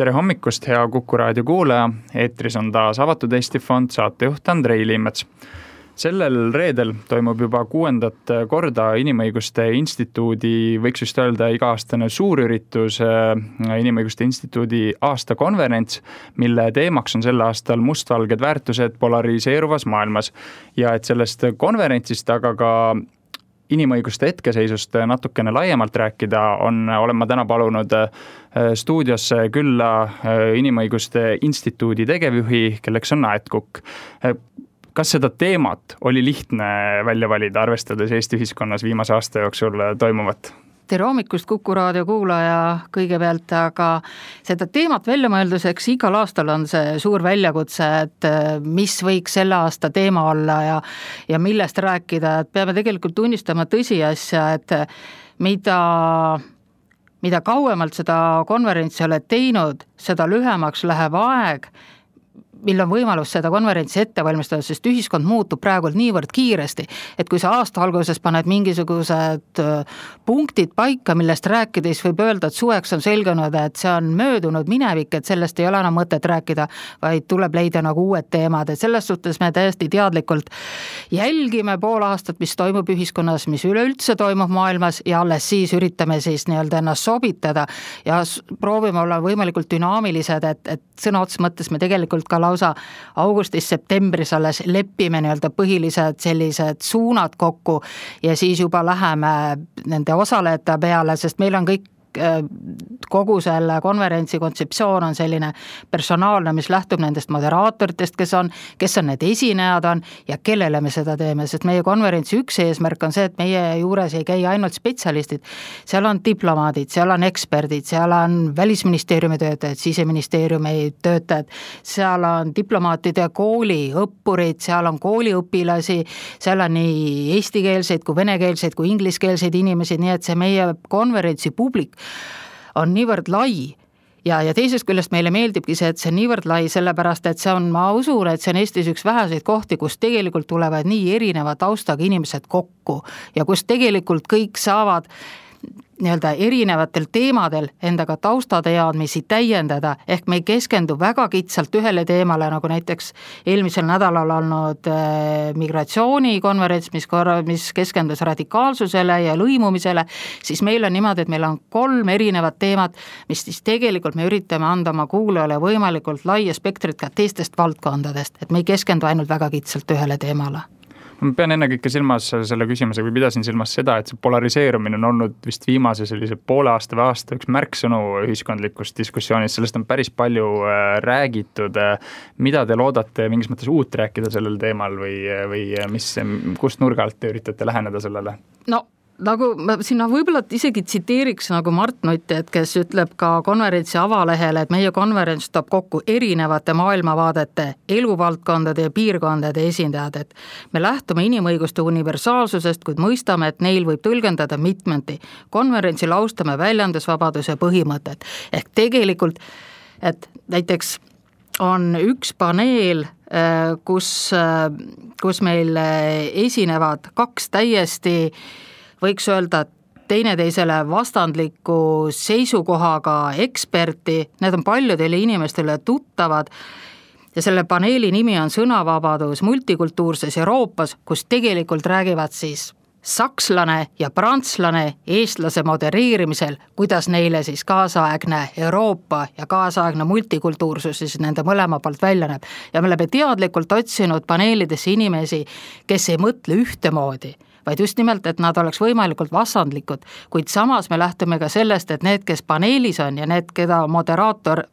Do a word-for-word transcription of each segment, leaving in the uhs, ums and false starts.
Tere hommikust, hea Kuku raadio kuulaja. Eetris on taas Avatud Eesti Fond, saatejuht Andrei Liimets. Sellel reedel toimub juba kuuendat korda Inimõiguste Instituudi, võiks just öelda iga-aastane suurüritus, Inimõiguste Instituudi aastakonverents, mille teemaks on sel aastal mustvalged väärtused polariseeruvas maailmas. Ja et sellest konverentsist, aga ka inimõiguste hetkeseisust natukene laiemalt rääkida, on, olen ma täna palunud stuudiosse külla Inimõiguste Instituudi tegevjuhi, kelleks on Aet Kukk. Kas seda teemat oli lihtne välja valida, arvestades Eesti ühiskonnas viimase aasta jooksul toimuvat? Tere hommikust, Kuku raadio kuulaja kõigepealt, aga seda teemat välja mõelduseks igal aastal on see suur väljakutse, et mis võiks selle aasta teema olla ja, ja millest rääkida, et peame tegelikult tunnistama tõsiasja, et mida, mida kauemalt seda konverentsi oled teinud, seda lühemaks läheb aeg, mil on võimalus seda konverentsi ette valmistada, sest ühiskond muutub praegu niivõrd kiiresti, et kui sa aasta alguses paned mingisugused punktid paika, millest rääkides võib öelda, et suveks on selgunud, et see on möödunud minevik, et sellest ei ole enam mõtet rääkida, vaid tuleb leida nagu uued teemad, et selles suhtes me täiesti teadlikult jälgime pool aastat, mis toimub ühiskonnas, mis üleüldse toimub maailmas ja alles siis üritame siis nii-öelda ennast sobitada ja proovime olla võimalikult dünaamilised, et, et sõna otsa mõttes me tegelikult ka lausa augustis-septembris alles lepime nii-öelda põhilised sellised suunad kokku ja siis juba läheme nende osalejate peale, sest meil on kõik kogu selle konverentsi kontseptsioon on selline personaalne, mis lähtub nendest moderaatoritest, kes on, kes on need esinejad on ja kellele me seda teeme, sest meie konverentsi üks eesmärk on see, et meie juures ei käi ainult spetsialistid, seal on diplomaadid, seal on eksperdid, seal on välisministeeriumi töötajad, siseministeeriumi töötajad, seal on diplomaatide kooli õppurid, seal on kooliõpilasi, seal on nii eestikeelseid kui venekeelseid kui ingliskeelseid inimesi, nii et see meie konverentsi publik on niivõrd lai ja, ja teisest küljest meile meeldibki see, et see on niivõrd lai, sellepärast et see on, ma usun, et see on Eestis üks väheseid kohti, kus tegelikult tulevad nii erineva taustaga inimesed kokku ja kus tegelikult kõik saavad nii-öelda erinevatel teemadel endaga taustateadmisi täiendada, ehk me ei keskendu väga kitsalt ühele teemale, nagu näiteks eelmisel nädalal olnud migratsioonikonverents, mis, mis keskendus radikaalsusele ja lõimumisele, siis meil on niimoodi, et meil on kolm erinevat teemat, mis siis tegelikult me üritame anda oma kuulajale võimalikult laia spektrit ka teistest valdkondadest, et me ei keskendu ainult väga kitsalt ühele teemale. Ma pean ennekõike silmas selle küsimuse, kui pidasin silmas seda, et see polariseerumine on olnud vist viimase sellise poole aasta või aasta üks märksõnu ühiskondlikust diskussioonis, sellest on päris palju räägitud. Mida te loodate mingis mõttes uut rääkida sellel teemal või, või mis, kust nurga alt te üritate läheneda sellele? No nagu ma sinna võib-olla isegi tsiteeriks nagu Mart Nutt, et kes ütleb ka konverentsi avalehele, et meie konverents toob kokku erinevate maailmavaadete, eluvaldkondade ja piirkondade esindajad, et me lähtume inimõiguste universaalsusest, kuid mõistame, et neil võib tõlgendada mitmeti. Konverentsil austame väljendusvabaduse põhimõtet. Ehk tegelikult, et näiteks on üks paneel, kus, kus meil esinevad kaks täiesti võiks öelda teineteisele vastandliku seisukohaga eksperti, need on paljudele inimestele tuttavad ja selle paneeli nimi on sõnavabadus multikultuurses Euroopas, kus tegelikult räägivad siis sakslane ja prantslane eestlase modereerimisel, kuidas neile siis kaasaegne Euroopa ja kaasaegne multikultuursus siis nende mõlema poolt välja näeb. Ja me oleme teadlikult otsinud paneelidesse inimesi, kes ei mõtle ühtemoodi, vaid just nimelt, et nad oleks võimalikult vastandlikud, kuid samas me lähtume ka sellest, et need, kes paneelis on ja need, keda moderaator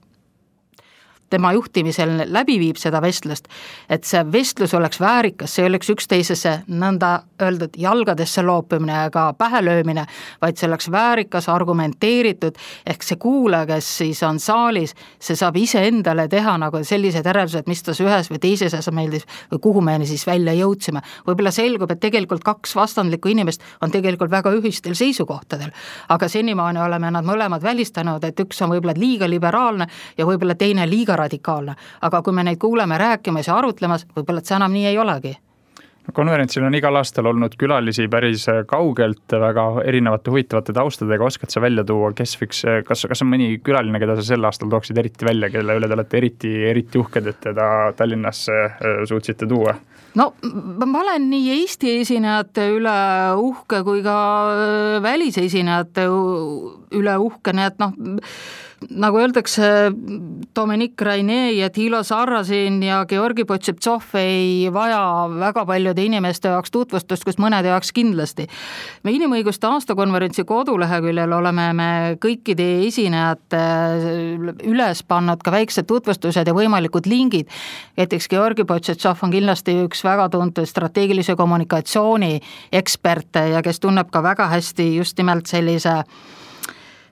tema juhtimisel läbi viib seda vestlust, et see vestlus oleks väärikas, see oleks üksteisesse nõnda öeldud jalgadesse loopimine ja ka pähe löömine, vaid see oleks väärikas, argumenteeritud, ehk see kuulaja, kes siis on saalis, see saab ise endale teha nagu sellised järeldused, mis tas ühes või teises asja meeldis või kuhu me siis välja jõudsime. Võib-olla selgub, et tegelikult kaks vastandlikku inimest on tegelikult väga ühistel seisukohtadel, aga senimaani oleme nad mõlemad välistanud, et üks on võib-olla liiga liberaalne ja võib-olla teine liiga radikaalne, aga kui me neid kuuleme rääkimas ja arutlemas, võib-olla, et see enam nii ei olegi. konverentsil on igal aastal olnud külalisi päris kaugelt, väga erinevate huvitavate taustadega. Oskad sa välja tuua, kes võiks, kas, kas on mõni külaline, keda sa sel aastal tooksid eriti välja, kelle üle te olete eriti, eriti uhked, et teda Tallinnasse suutsite tuua? No ma olen nii Eesti esinejate üle uhke kui ka välisesinejate üle uhke, nii et noh, nagu öeldakse, Dominic Rainet ja Thilo Sarrazin ja Georgi Potšeptsov ei vaja väga paljude inimeste jaoks tutvustust, kus mõnede jaoks kindlasti. Me inimõiguste aastakonverentsi koduleheküljel oleme me kõikide esinejate üles pannud ka väiksed tutvustused ja võimalikud lingid. Näiteks Georgi Potšeptsov on kindlasti üks väga tuntud strateegilise kommunikatsiooni eksperte ja kes tunneb ka väga hästi just nimelt sellise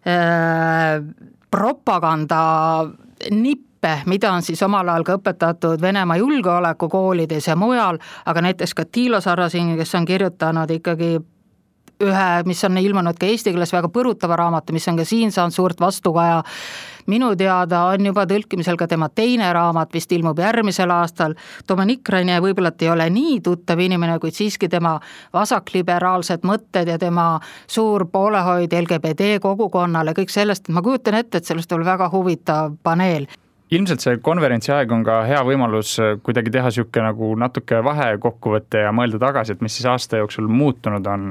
äh, propaganda nippe, mida on siis omal ajal ka õpetatud Venemaa julgeolekukoolides ja mujal, aga näiteks ka Thilo Sarrazin, kes on kirjutanud ikkagi ühe, mis on ilmunud ka eesti keeles väga põrutava raamatu, mis on ka siin saanud suurt vastukaja. Minu teada on juba tõlkimisel ka tema teine raamat, vist ilmub järgmisel aastal. Dominic Rainet võib-olla ei ole nii tuttav inimene, kuid siiski tema vasakliberaalsed mõtted ja tema suur poolehoid L G B T kogukonnale, kõik sellest, ma kujutan ette, et sellest oli väga huvitav paneel. Ilmselt see konverentsi aeg on ka hea võimalus kuidagi teha siuke nagu natuke vahekokkuvõtte ja mõelda tagasi, et mis siis aasta jooksul muutunud on.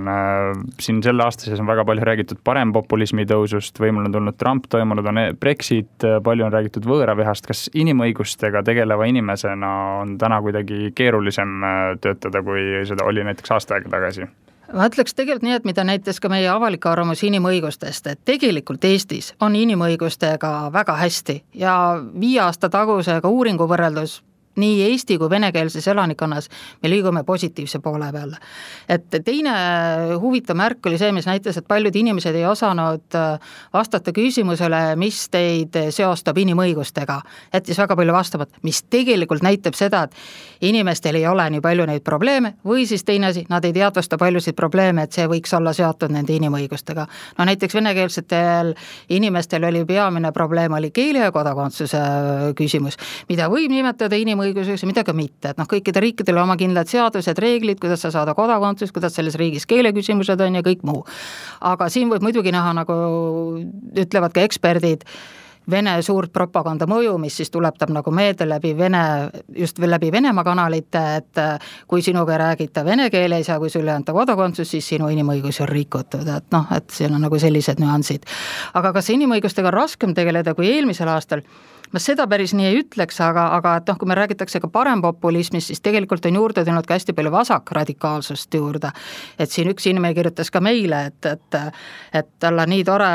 Siin selle aasta sees on väga palju räägitud parempopulismi tõusust, võimul on tulnud Trump, toimunud on Brexit, palju on räägitud võõravihast. Kas inimõigustega tegeleva inimesena on täna kuidagi keerulisem töötada, kui seda oli näiteks aasta aega tagasi? Ma ütleks tegelikult nii, et mida näitas ka meie avalik arvamus inimõigustest, et tegelikult Eestis on inimõigustega väga hästi ja viie aasta tagusega uuringu võrreldus nii Eesti kui venekeelses elanikkonnas me liigume positiivse poole peale. Et teine huvitav märk oli see, mis näitas, et paljud inimesed ei osanud vastata küsimusele, mis teid seostab inimõigustega. Jättis väga palju vastamat, mis tegelikult näitab seda, et inimestel ei ole nii palju neid probleeme või siis teine asi, nad ei teadvusta paljusid probleeme, et see võiks olla seotud nende inimõigustega. No näiteks venekeelsetel inimestel oli peamine probleem oli keele ja kodakondsuse küsimus, mida võib nimetada inimõigustega õiguseks ja midagi mitte, et noh, kõikide riikidele oma kindlad seadused, reeglid, kuidas sa saada kodakondsus, kuidas selles riigis keeleküsimused on ja kõik muu. Aga siin võib muidugi näha, nagu ütlevad ka eksperdid, Vene suurt propaganda mõju, mis siis tuletab nagu meelde läbi Vene, just läbi Venemaa kanalite, et kui sinuga räägita vene keeles ja kui sulle anta kodakondsus, siis sinu inimõigusi on rikutud, et noh, et siin on nagu sellised nüansid. Aga kas inimõigustega on raskem tegeleda kui eelmisel aastal? Ma seda päris nii ei ütleks, aga, aga et noh, kui me räägitakse ka parempopulismist, siis tegelikult on juurde tulnud ka hästi palju vasakradikaalsust juurde. Et siin üks inimene kirjutas ka meile, et, et, et tal on nii tore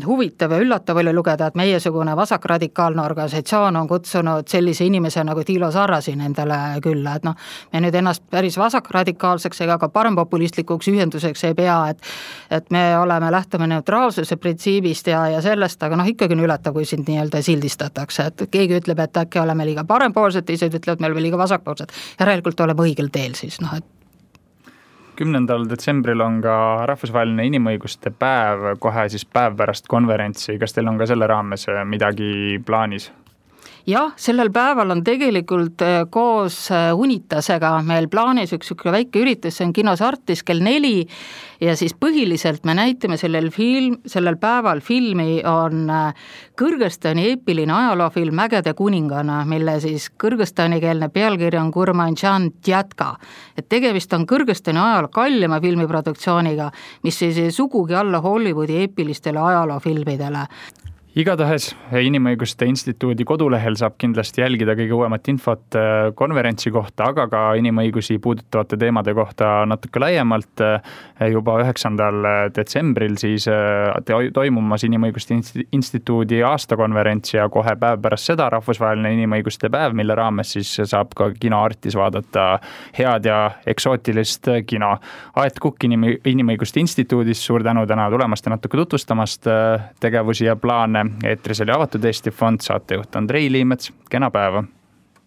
huvitav ja üllatav oli lugeda, et meiesugune vasakradikaalne organisatsioon on kutsunud sellise inimese nagu Thilo Sarrazin endale külla. Et noh, me nüüd ennast päris vasakradikaalseks ega ka parempopulistlikuks ühenduseks ei pea, et, et me oleme lähtume neutraalsuse printsiibist ja, ja sellest, aga noh, ikkagi on üllatav, kui sind nii-öelda sildistada. Et keegi ütleb, et äkki oleme liiga parempoolsed, teised ütlevad, me oleme liiga vasakpoolsed. Järelikult oleme õigel teel siis. No, et... kümnendal detsembril on ka rahvusvaheline inimõiguste päev, kohe siis päev pärast konverentsi. Kas teil on ka selle raames midagi plaanis? Jah, sellel päeval on tegelikult koos Unitasega meil plaanis üks väike üritus, see on kinos Artis kell neli ja siis põhiliselt me näitame sellel, film, sellel päeval filmi on Kõrgõzstani eepiline ajaloofilm Mägede kuningana, mille siis kõrgõzstanikeelne pealkiri on Kurmanjan Djatka. Et tegemist on Kõrgõzstani ajaloo kallima filmiproduktsiooniga, mis siis sugugi alla Hollywoodi eepilistele ajaloofilmidele. Igatahes Inimõiguste Instituudi kodulehel saab kindlasti jälgida kõige uuemat infot konverentsi kohta, aga ka inimõigusi puudutavate teemade kohta natuke laiemalt. Juba üheksandal detsembril siis toimumas Inimõiguste Instituudi aastakonverents ja kohe päev pärast seda rahvusvaheline inimõiguste päev, mille raames siis saab ka kino Artis vaadata head ja eksootilist kino. Aet Kukk Inimõiguste Instituudist, suur tänu täna tulemast ja natuke tutvustamast tegevusi ja plaane. Eetris oli Avatud Eesti Fond, saatejuht Andrei Liimets, kena päeva!